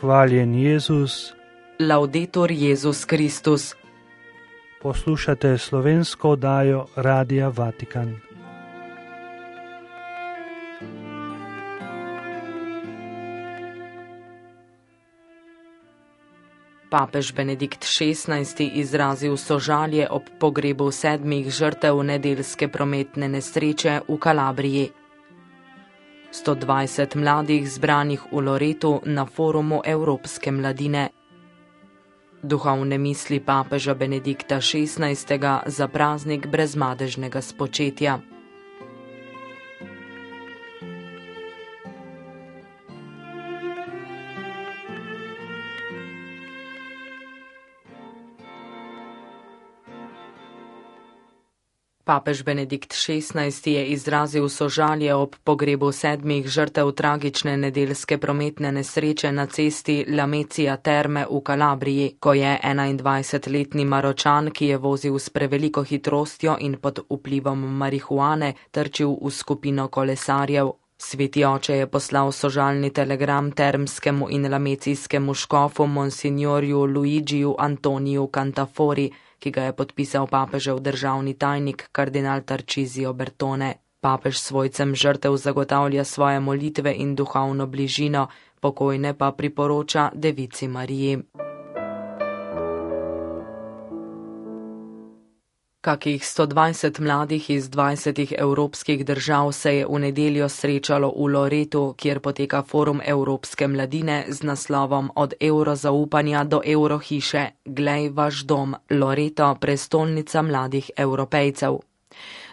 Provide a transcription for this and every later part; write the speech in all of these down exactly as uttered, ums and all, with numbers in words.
Hvaljen Jezus. Laudetur Jezus Kristus. Poslušate slovensko oddajo Radia Vatikan. Papež Benedikt šestnajsti izrazil sožalje ob pogrebu sedmih žrtev nedeljske prometne nesreče v Kalabriji. sto dvajset mladih zbranih v Loretu na forumu Evropske mladine. Duhovne misli papeža Benedikta šestnajstega za praznik brezmadežnega spočetja. Papež Benedikt šestnajsti je izrazil sožalje ob pogrebu sedmih žrtev tragične nedeljske prometne nesreče na cesti Lamezia Terme v Kalabriji, ko je enaindvajsetletni Maročan, ki je vozil s preveliko hitrostjo in pod vplivom marihuane, trčil v skupino kolesarjev. Sveti oče je poslal sožalni telegram termskemu in lamecijskemu škofu monsignorju Luigiju Antoniju Cantafori, ki ga je podpisal papežev državni tajnik kardinal Tarcisio Bertone. Papež svojcem žrtev zagotavlja svoje molitve in duhovno bližino, pokojne pa priporoča Devici Mariji. Kakih sto dvajset mladih iz dvajsetih evropskih držav se je v nedeljo srečalo v Loretu, kjer poteka forum Evropske mladine z naslovom Od evrozaupanja do evrohiše, glej vaš dom, Loreto, prestolnica mladih Evropejcev.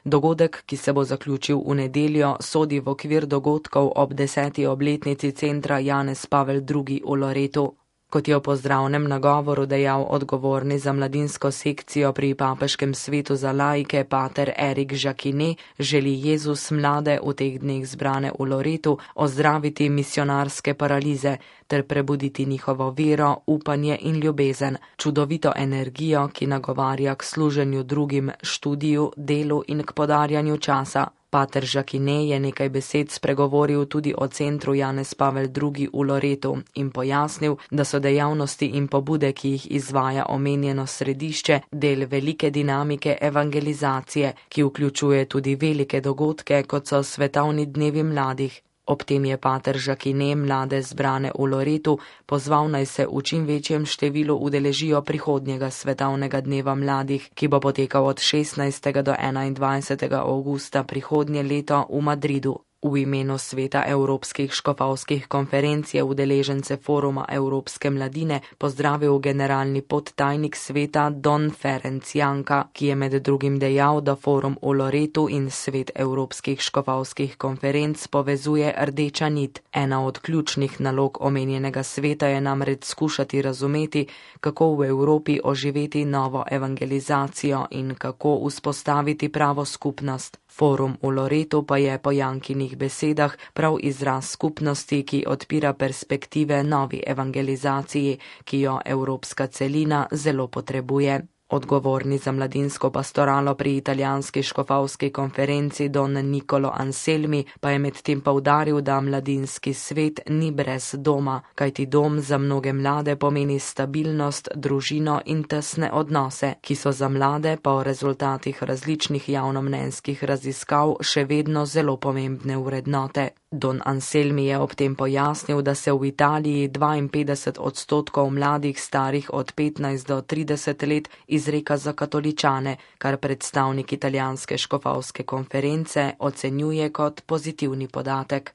Dogodek, ki se bo zaključil v nedeljo, sodi v okvir dogodkov ob deseti obletnici centra Janez Pavel drugi v Loretu. Kot je v pozdravnem nagovoru dejal odgovorni za mladinsko sekcijo pri papeškem svetu za laike pater Erik Žakine, želi Jezus mlade v teh dneh zbrane v Loretu ozdraviti misionarske paralize ter prebuditi njihovo vero, upanje in ljubezen, čudovito energijo, ki nagovarja k služenju drugim, študiju, delu in k podarjanju časa. Pater Žakine je nekaj besed spregovoril tudi o centru Janez Pavel drugi v Loretu in pojasnil, da so dejavnosti in pobude, ki jih izvaja omenjeno središče, del velike dinamike evangelizacije, ki vključuje tudi velike dogodke, kot so svetovni dnevi mladih. Ob tem je pater Žakine mlade zbrane v Loretu pozval naj se v čim večjem številu udeležijo prihodnjega svetovnega dneva mladih, ki bo potekal od šestnajstega do enaindvajsetega avgusta prihodnje leto v Madridu. V imenu sveta Evropskih škofovskih konferenc je udeležence foruma Evropske mladine pozdravil generalni podtajnik sveta Don Ferenc Janka, ki je med drugim dejal, da forum v Loretu in svet Evropskih škofovskih konferenc povezuje rdeča nit. Ena od ključnih nalog omenjenega sveta je namreč skušati razumeti, kako v Evropi oživeti novo evangelizacijo in kako vzpostaviti pravo skupnost. Forum v Loretu pa je po Jankinih besedah prav izraz skupnosti, ki odpira perspektive novi evangelizaciji, ki jo evropska celina zelo potrebuje. Odgovorni za mladinsko pastoralo pri italijanski škofovski konferenci Don Nicolo Anselmi pa je medtem poudaril, da mladinski svet ni brez doma, kajti dom za mnoge mlade pomeni stabilnost, družino in tesne odnose, ki so za mlade po rezultatih različnih javnomnenjskih raziskav še vedno zelo pomembne vrednote. Don Anselmi je ob tem pojasnil, da se v Italiji dvainpetdeset odstotkov mladih starih od petnajst do trideset let izreka za katoličane, kar predstavnik italijanske škofovske konference ocenjuje kot pozitivni podatek.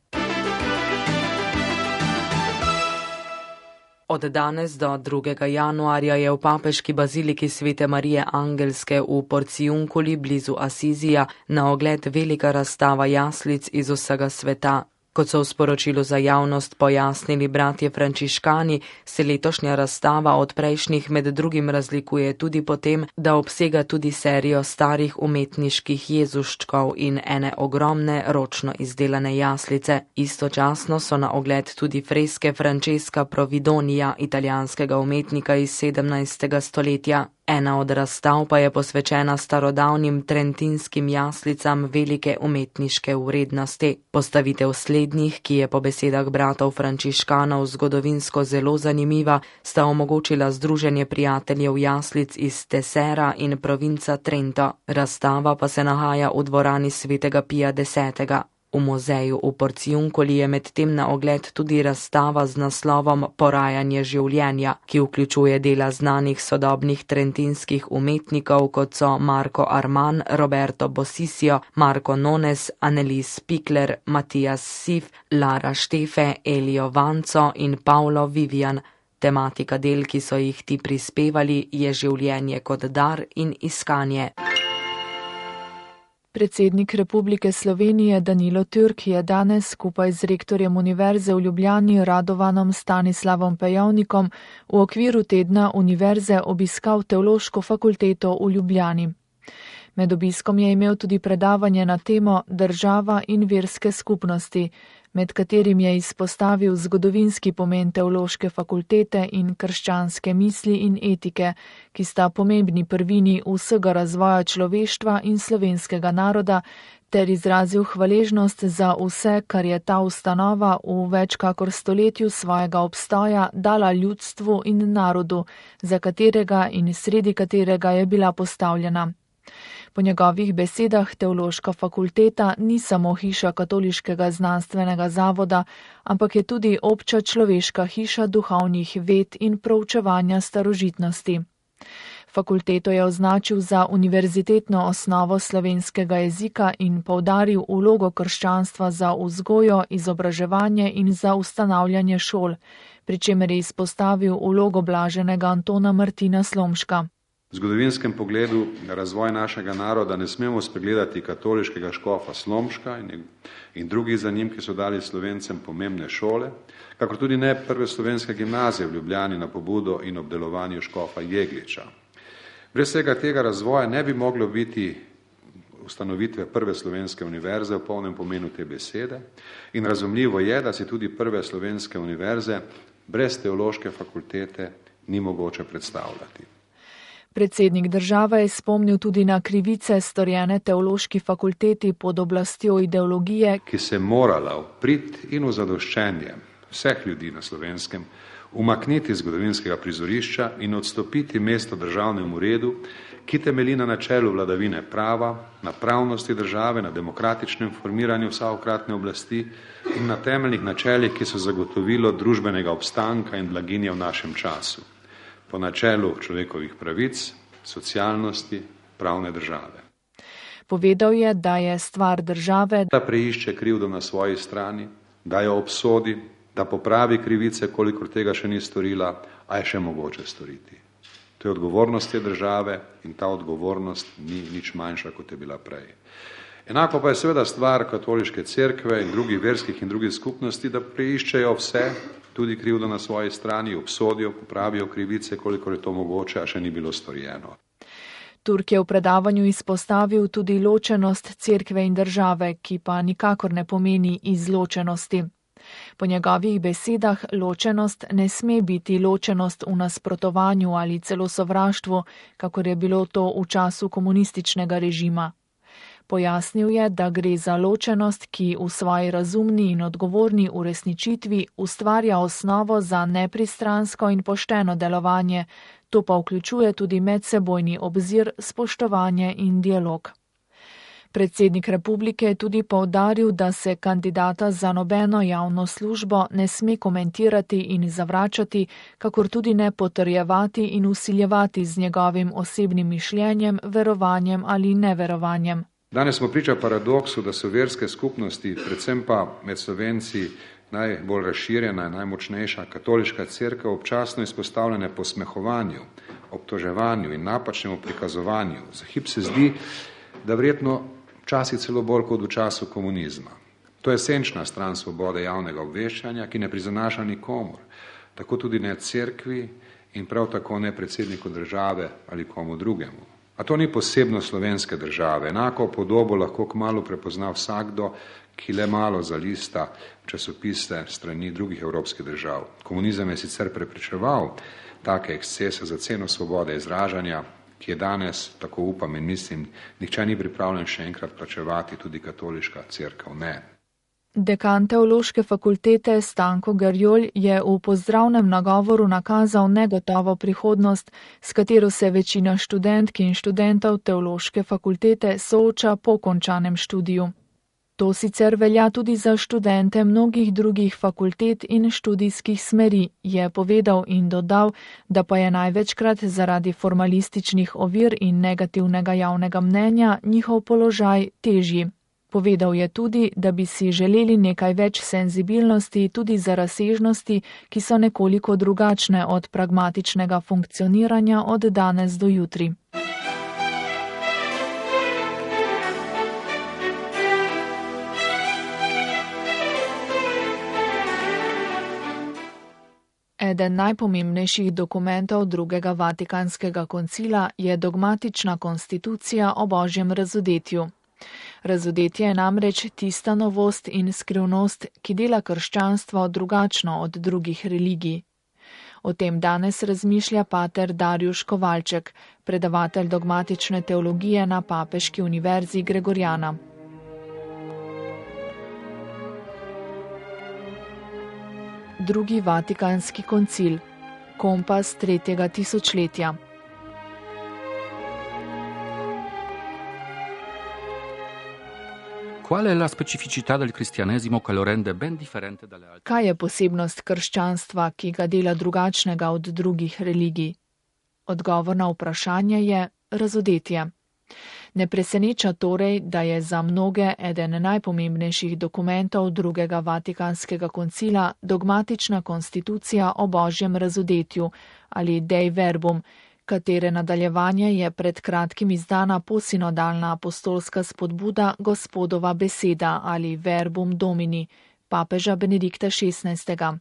Od danes do drugega januarja je v papeški baziliki Svete Marije Angelske v Porciunculi blizu Asizija na ogled velika razstava jaslic iz vsega sveta. Kot so v sporočilu za javnost pojasnili bratje frančiškani, se letošnja razstava od prejšnjih med drugim razlikuje tudi po tem, da obsega tudi serijo starih umetniških jezuščkov in ene ogromne ročno izdelane jaslice. Istočasno so na ogled tudi freske Francesca Providonija, italijanskega umetnika iz sedemnajstega stoletja. Ena od razstav pa je posvečena starodavnim trentinskim jaslicam velike umetniške vrednosti. Postavitev slednjih, ki je po besedah bratov frančiškanov zgodovinsko zelo zanimiva, sta omogočila združenje prijateljev jaslic iz Tesera in provinca Trento. Razstava pa se nahaja v dvorani svetega Pija desetega. V muzeju v Porciuncoli je medtem na ogled tudi razstava z naslovom Porajanje življenja, ki vključuje dela znanih sodobnih trentinskih umetnikov, kot so Marco Arman, Roberto Bosisio, Marco Nones, Annelies Pikler, Matthias Sif, Lara Štefe, Elio Vanco in Paolo Vivian. Tematika del, ki so jih ti prispevali, je življenje kot dar in iskanje. Predsednik Republike Slovenije Danilo Türk je danes skupaj z rektorjem Univerze v Ljubljani Radovanom Stanislavom Pejovnikom v okviru tedna Univerze obiskal Teološko fakulteto v Ljubljani. Med obiskom je imel tudi predavanje na temo Država in verske skupnosti, med katerim je izpostavil zgodovinski pomen Teološke fakultete in krščanske misli in etike, ki sta pomembni prvini vsega razvoja človeštva in slovenskega naroda, ter izrazil hvaležnost za vse, kar je ta ustanova v več kakor stoletju svojega obstoja dala ljudstvu in narodu, za katerega in sredi katerega je bila postavljena. Po njegovih besedah Teološka fakulteta ni samo hiša Katoliškega znanstvenega zavoda, ampak je tudi obča človeška hiša duhovnih ved in proučevanja starožitnosti. Fakulteto je označil za univerzitetno osnovo slovenskega jezika in poudaril vlogo krščanstva za vzgojo, izobraževanje in za ustanavljanje šol, pri čemer je izpostavil vlogo blaženega Antona Martina Slomška. V zgodovinskem pogledu na razvoj našega naroda ne smemo spregledati katoliškega škofa Slomška in, in drugih za njim, ki so dali Slovencem pomembne šole, kakor tudi ne prve slovenske gimnazije v Ljubljani na pobudo in obdelovanju škofa Jegliča. Brez vsega tega razvoja ne bi moglo biti ustanovitve prve slovenske univerze v polnem pomenu te besede in razumljivo je, da si tudi prve slovenske univerze brez teološke fakultete ni mogoče predstavljati. Predsednik države je spomnil tudi na krivice storjene Teološki fakulteti pod oblastjo ideologije, ki se morala v prid in v zadoščenje vseh ljudi na Slovenskem umakniti zgodovinskega prizorišča in odstopiti mesto državnemu redu, ki temelji na načelu vladavine prava, na pravnosti države, na demokratičnem formiranju vsakokratne oblasti in na temeljnih načelih, ki so zagotovilo družbenega obstanka in blaginje v našem času. Po načelu človekovih pravic, socialnosti, pravne države. Povedal je, da je stvar države, da preišče krivdo na svoji strani, da jo obsodi, da popravi krivice, kolikor tega še ni storila, a je še mogoče storiti. To je odgovornost te države in ta odgovornost ni nič manjša, kot je bila prej. Enako pa je seveda stvar katoliške cerkve in drugih verskih in drugih skupnosti, da preiščejo vse, tudi krivdo na svoji strani, obsodijo, popravijo krivice, kolikor je to mogoče, a še ni bilo storjeno. Turk je v predavanju izpostavil tudi ločenost cerkve in države, ki pa nikakor ne pomeni izločenosti. Po njegovih besedah ločenost ne sme biti ločenost v nasprotovanju ali celo sovraštvu, kakor je bilo to v času komunističnega režima. Pojasnil je, da gre za ločenost, ki v svoji razumni in odgovorni uresničitvi ustvarja osnovo za nepristransko in pošteno delovanje, to pa vključuje tudi medsebojni obzir, spoštovanje in dialog. Predsednik republike je tudi poudaril, da se kandidata za nobeno javno službo ne sme komentirati in zavračati, kakor tudi ne potrjevati in vsiljevati z njegovim osebnim mišljenjem, verovanjem ali neverovanjem. Danes smo priča paradoksu, da so verske skupnosti, predvsem pa med Slovenci najbolj razširjena in najmočnejša katoliška cerkev, občasno izpostavljene posmehovanju, obtoževanju in napačnemu prikazovanju. Za hip se zdi, da verjetno včasih celo bolj kot v času komunizma. To je esenčna stran svobode javnega obveščanja, ki ne prizanaša nikomur, tako tudi ne cerkvi in prav tako ne predsedniku države ali komu drugemu. A to ni posebno slovenske države. Enako podobo lahko kmalu prepozna vsakdo, ki le malo zalista časopise strani drugih evropskih držav. Komunizem je sicer preprečeval take ekscese za ceno svobode izražanja, ki je danes, tako upam in mislim, nihče ni pripravljen še enkrat plačevati, tudi katoliška cerkev ne. Dekan Teološke fakultete Stanko Garjol je v pozdravnem nagovoru nakazal negotovo prihodnost, s katero se večina študentk in študentov Teološke fakultete sooča po končanem študiju. To sicer velja tudi za študente mnogih drugih fakultet in študijskih smeri, je povedal in dodal, da pa je največkrat zaradi formalističnih ovir in negativnega javnega mnenja njihov položaj težji. Povedal je tudi, da bi si želeli nekaj več senzibilnosti tudi za razsežnosti, ki so nekoliko drugačne od pragmatičnega funkcioniranja od danes do jutri. Eden najpomembnejših dokumentov drugega Vatikanskega koncila je dogmatična konstitucija o Božjem razodetju. Razodetje je namreč tista novost in skrivnost, ki dela krščanstvo drugačno od drugih religij. O tem danes razmišlja pater Darjuš Kovalček, predavatelj dogmatične teologije na Papeški univerzi Gregorjana. Drugi Vatikanski koncil. Kompas tretjega tisočletja. Kaj je posebnost krščanstva, ki ga dela drugačnega od drugih religij? Odgovor na vprašanje je razodetje. Ne preseneča torej, da je za mnoge eden najpomembnejših dokumentov drugega Vatikanskega koncila dogmatična konstitucija o Božjem razodetju ali Dei Verbum, katere nadaljevanje je pred kratkim izdana posinodalna apostolska spodbuda Gospodova beseda ali Verbum Domini, papeža Benedikta šestnajstega.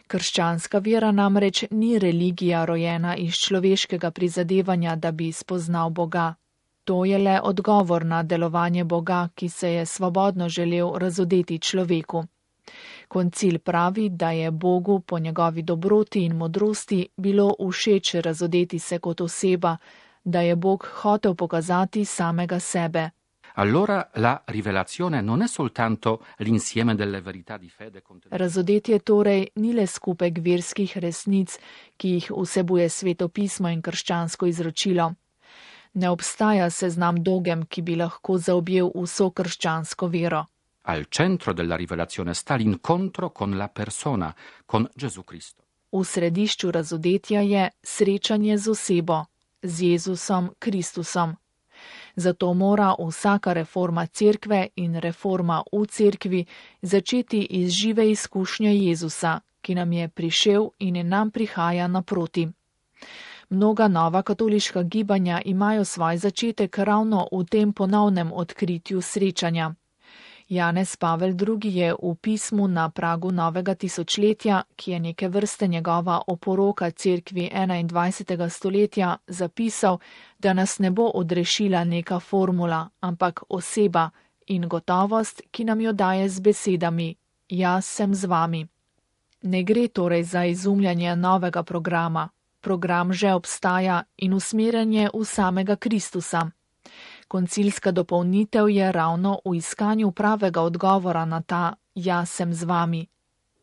Krščanska vera namreč ni religija rojena iz človeškega prizadevanja, da bi spoznal Boga. To je le odgovor na delovanje Boga, ki se je svobodno želel razodeti človeku. Koncil pravi, da je Bogu po njegovi dobroti in modrosti bilo všeč razodeti se kot oseba, da je Bog hotel pokazati samega sebe. Allora la rivelazione non è soltanto l'insieme delle verità di fede contenute. Razodetje torej ni le skupek verskih resnic, ki jih vsebuje Sveto pismo in krščansko izročilo. Ne obstaja seznam dogem, ki bi lahko zaobjel vso krščansko vero. Al centro della rivelazione sta l'incontro con la persona, con Gesù Cristo. V središču razodetja je srečanje z osebo, z Jezusom Kristusom. Zato mora vsaka reforma cerkve in reforma v cerkvi začeti iz žive izkušnje Jezusa, ki nam je prišel in nam prihaja naproti. Mnoga nova katoliška gibanja imajo svoj začetek ravno v tem ponovnem odkritju srečanja. Janez Pavel drugi je v pismu na pragu novega tisočletja, ki je neke vrste njegova oporoka cerkvi enaindvajsetega stoletja, zapisal, da nas ne bo odrešila neka formula, ampak oseba in gotovost, ki nam jo daje z besedami: Jaz sem z vami. Ne gre torej za izumljanje novega programa. Program že obstaja in usmerjanje v samega Kristusa. Koncilska dopolnitev je ravno v iskanju pravega odgovora na ta jaz sem z vami.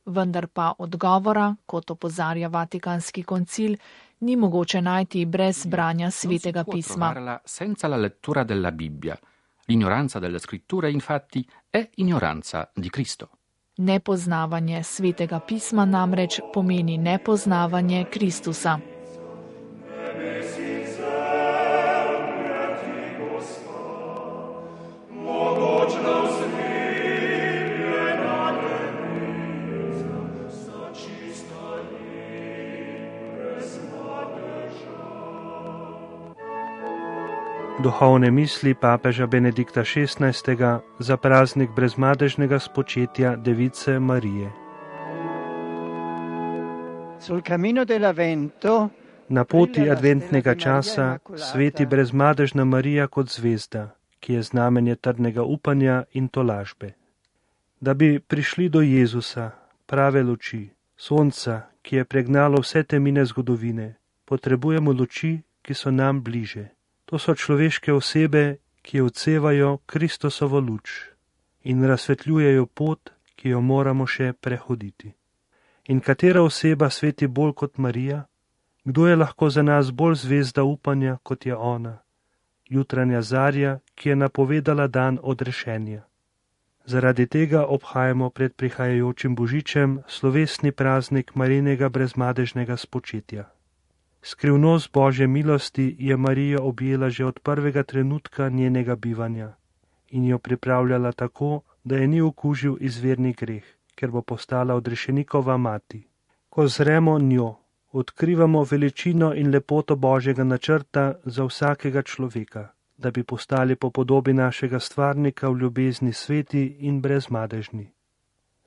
Vendar pa odgovora, kot opozarja Vatikanski koncil, ni mogoče najti brez branja Svetega pisma. Senza la lettura della Bibbia. L'ignoranza delle scritture, infatti, è ignoranza di Cristo. Nepoznavanje Svetega pisma namreč pomeni nepoznavanje Kristusa. Duhovne misli papeža Benedikta šestnajstega za praznik brezmadežnega spočetja Device Marije. Na poti adventnega časa sveti brezmadežna Marija kot zvezda, ki je znamenje trdnega upanja in tolažbe. Da bi prišli do Jezusa, prave luči, sonca, ki je pregnalo vse temine zgodovine, potrebujemo luči, ki so nam bliže. To so človeške osebe, ki odsevajo Kristusovo luč in razsvetljujejo pot, ki jo moramo še prehoditi. In katera oseba sveti bolj kot Marija? Kdo je lahko za nas bolj zvezda upanja, kot je ona? Jutranja zarja, ki je napovedala dan odrešenja. Zaradi tega obhajamo pred prihajajočim božičem slovesni praznik Marijinega brezmadežnega spočetja. Skrivnost Božje milosti je Marijo objela že od prvega trenutka njenega bivanja in jo pripravljala tako, da je ni okužil izvirni greh, ker bo postala odrešenikova mati. Ko zremo njo, odkrivamo veličino in lepoto Božjega načrta za vsakega človeka, da bi postali po podobi našega stvarnika v ljubezni sveti in brezmadežni.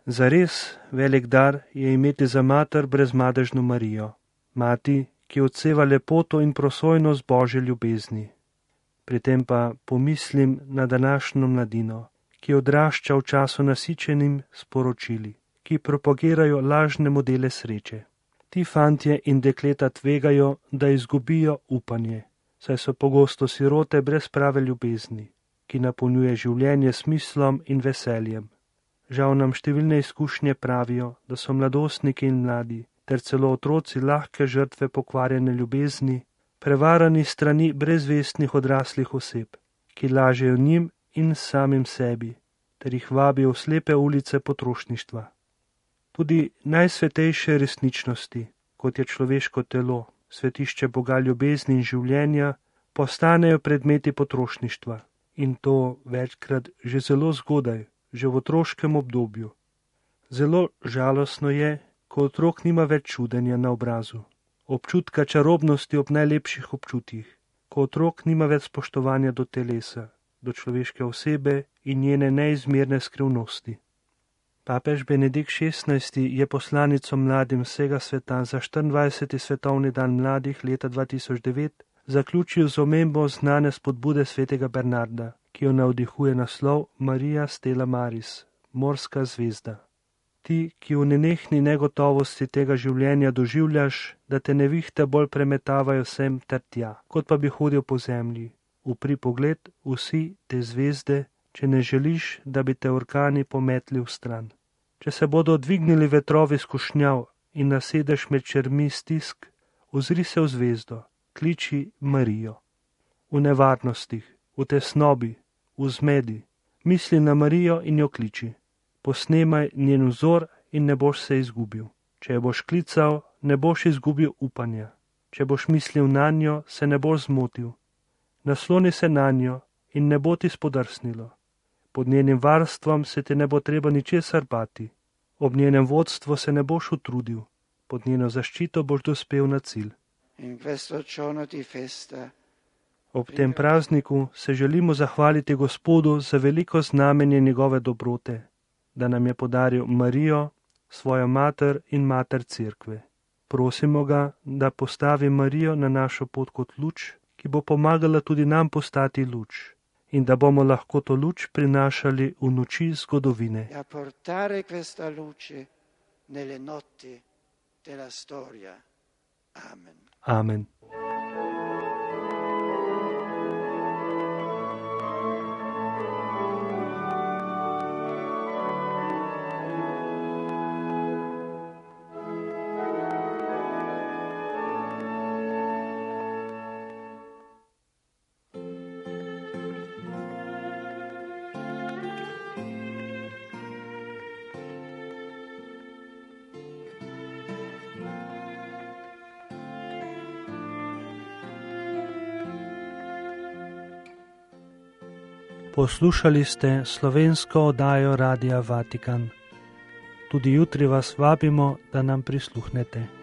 Zares velik dar je imeti za mater brezmadežno Marijo, mati, ki odseva lepoto in prosojnost Božje ljubezni. Pri tem pa pomislim na današnjo mladino, ki odrašča v času nasičenim sporočili, ki propagirajo lažne modele sreče. Ti fantje in dekleta tvegajo, da izgubijo upanje, saj so pogosto sirote brez prave ljubezni, ki napolnjuje življenje s smislom in veseljem. Žal nam številne izkušnje pravijo, da so mladostniki in mladi, ter celo otroci lahke žrtve pokvarjene ljubezni, prevarani strani brezvestnih odraslih oseb, ki lažejo njim in samim sebi, ter jih vabijo v slepe ulice potrošništva. Tudi najsvetejše resničnosti, kot je človeško telo, svetišče Boga ljubezni in življenja, postanejo predmeti potrošništva in to večkrat že zelo zgodaj, že v otroškem obdobju. Zelo žalostno je, ko otrok nima več čudenja na obrazu, občutka čarobnosti ob najlepših občutjih, ko otrok nima več spoštovanja do telesa, do človeške osebe in njene neizmerne skrivnosti. Papež Benedikt šestnajsti je poslanico mladim vsega sveta za štiriindvajseti svetovni dan mladih leta dva tisoč devet zaključil z omembo znane spodbude svetega Bernarda, ki jo navdihuje naslov Maria Stella Maris, morska zvezda. Ti, ki v nenehni negotovosti tega življenja doživljaš, da te nevihte bolj premetavajo sem ter tja, kot pa bi hodil po zemlji. Upri pogled vsi te zvezde, če ne želiš, da bi te orkani pometli v stran. Če se bodo dvignili vetrovi skušnjav in nasedeš med čermi stisk, ozri se v zvezdo, kliči Marijo. V nevarnostih, v tesnobi, v zmedi, misli na Marijo in jo kliči. Posnemaj njen vzor in ne boš se izgubil. Če jo boš klical, ne boš izgubil upanja. Če boš mislil na njo, se ne boš zmotil. Nasloni se na njo in ne bo ti spodrsnilo. Pod njenim varstvom se ti ne bo treba ničesar bati. Ob njenem vodstvu se ne boš utrudil. Pod njeno zaščito boš dospel na cilj. Ob tem prazniku se želimo zahvaliti Gospodu za veliko znamenje njegove dobrote, da nam je podaril Marijo, svojo mater in mater Cerkve. Prosimo ga, da postavi Marijo na našo pot kot luč, ki bo pomagala tudi nam postati luč in da bomo lahko to luč prinašali v noči zgodovine. Amen. Poslušali ste slovensko oddajo Radia Vatikan. Tudi jutri vas vabimo, da nam prisluhnete.